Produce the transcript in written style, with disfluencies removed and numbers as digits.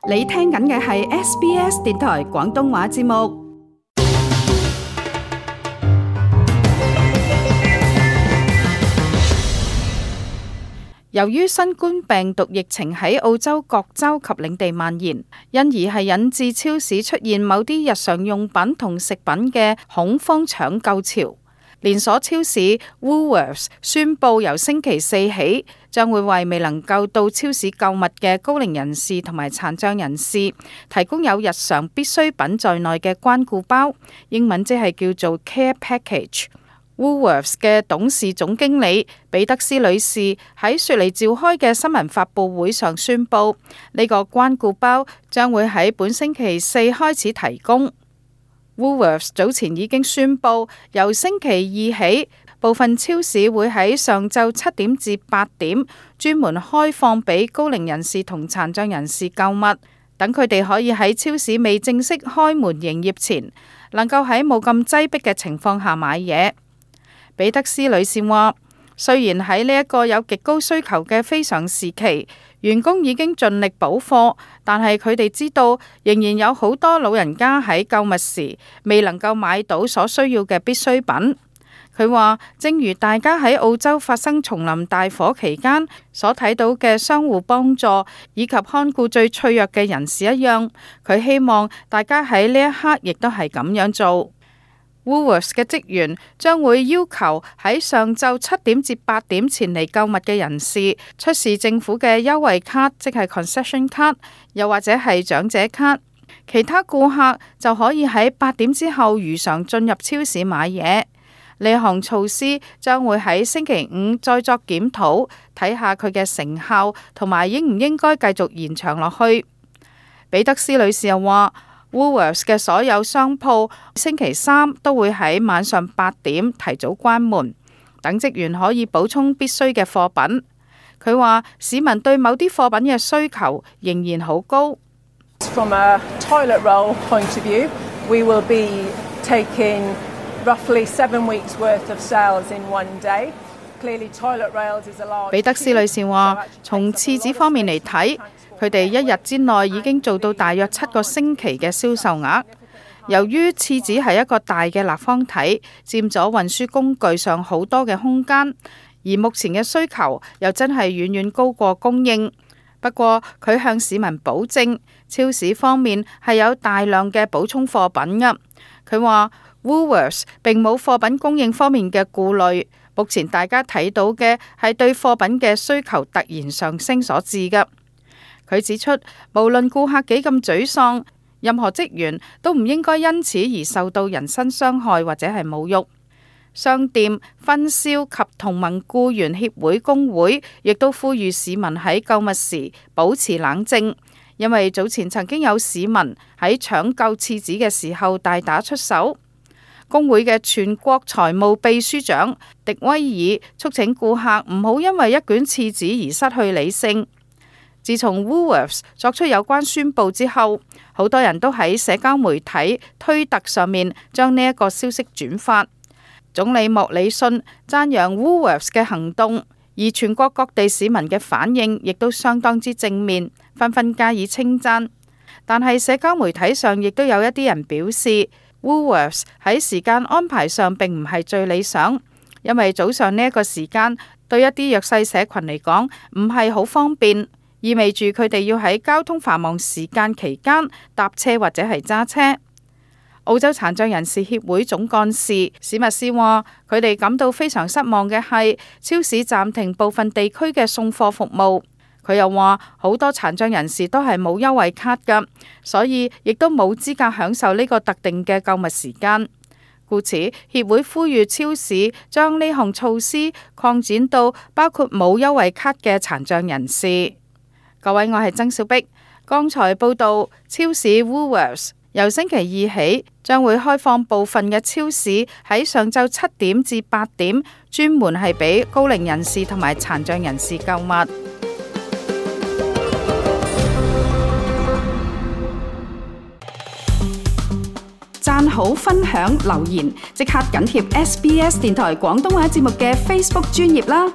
你聽緊嘅係 SBS 電台廣東話節目。由於新冠病毒疫情喺澳洲各州及領地蔓延，因而係引致超市出現某啲日常用品同食品嘅恐慌搶購潮。連鎖超市 Woolworths 宣布由星期四起，將會為未能夠到超市購物嘅高齡人士同埋殘障人士提供有日常必需品在內嘅關顧包，英文即係叫做 Care Package。Woolworths 嘅董事總經理彼得斯女士喺雪梨召開嘅新聞發佈會上宣布，呢個關顧包將會喺本星期四開始提供。Woolworths 早前已經宣布，由星期二起，部分超市會喺上晝7點至8點專門開放俾高齡人士同殘障人士購物，等佢哋可以喺超市未正式開門營業前，能夠喺冇咁擠迫嘅情況下買嘢。彼得斯女士話，雖然喺呢一個有極高需求嘅非常時期，員工已經盡力補貨，但係佢哋知道仍然有好多老人家喺購物時未能夠買到所需要嘅必需品。佢話，正如大家喺澳洲發生叢林大火期間所睇到嘅相互幫助以及看顧最脆弱嘅人士一樣，佢希望大家喺呢一刻亦都係咁樣做。Woolworths 嘅職員將會要求喺上晝7點至8點前嚟購物嘅人士出示政府嘅優惠卡，即係 concession 卡，又或者係長者卡。其他顧客就可以喺8點之後如常進入超市買嘢。呢項措施將會喺星期五再作檢討，睇下佢嘅成效同埋應唔應該繼續延長落去。彼得斯女士又話，Woolworths 嘅所有商鋪星期三都會喺晚上8點提早關門，等職員可以補充必須嘅貨品。佢話市民對某啲貨品嘅需求仍然好高。From a toilet roll point of view, we will be taking roughly 7 weeks worth of sales in one day. Clearly, toilet rolls is a large. 彼得斯女士話，從廁紙方面嚟睇，佢哋一日之內已經做到大約7個星期嘅銷售額。由於廁紙係一個大嘅立方體，佔咗運輸工具上好多嘅空間，而目前嘅需求又真係遠遠高過供應。不過佢向市民保證，超市方面係有大量嘅補充貨品㗎。佢話 Woolworths 並冇貨品供應方面嘅顧慮，目前大家睇到嘅係對貨品嘅需求突然上升所致㗎。佢指出，無論顧客幾咁沮喪，任何職員都唔應該因此而受到人身傷害或者係侮辱。商店、分銷及同盟僱員協會工會亦都呼籲市民喺購物時保持冷靜，因為早前曾經有市民喺搶購廁紙嘅時候大打出手。工會嘅全國財務秘書長迪威爾促請顧客唔好因為一卷廁紙而失去理性。自從 Woolworths 作出有關宣佈之後，好多人都喺社交媒體推特上面將呢一個消息轉發。總理莫里遜讚揚 Woolworths 嘅行動，而全國各地市民嘅反應亦都相當之正面，紛紛加以稱讚。但係社交媒體上亦都有一啲人表示 Woolworths 喺時間安排上並唔係最理想，因為早上呢一個時間對一啲弱勢社群嚟講唔係好方便，意味住佢哋要喺交通繁忙時間期間搭車或者係揸車。澳洲殘障人士協會總幹事史密斯話，佢哋感到非常失望嘅係超市暫停部分地區嘅送貨服務。佢又話，好多殘障人士都係冇優惠卡㗎，所以亦都冇資格享受呢個特定嘅購物時間。故此，協會呼籲超市將呢項措施擴展到包括冇優惠卡嘅殘障人士。各位，我係曾小碧。剛才報道，超市 Woolworths 由星期二起，將會開放部分嘅超市喺上晝7點至8點，專門係俾高齡人士同埋殘障人士購物。讚好、分享、留言，即刻緊貼SBS 電台廣東話節目嘅 Facebook 專頁啦！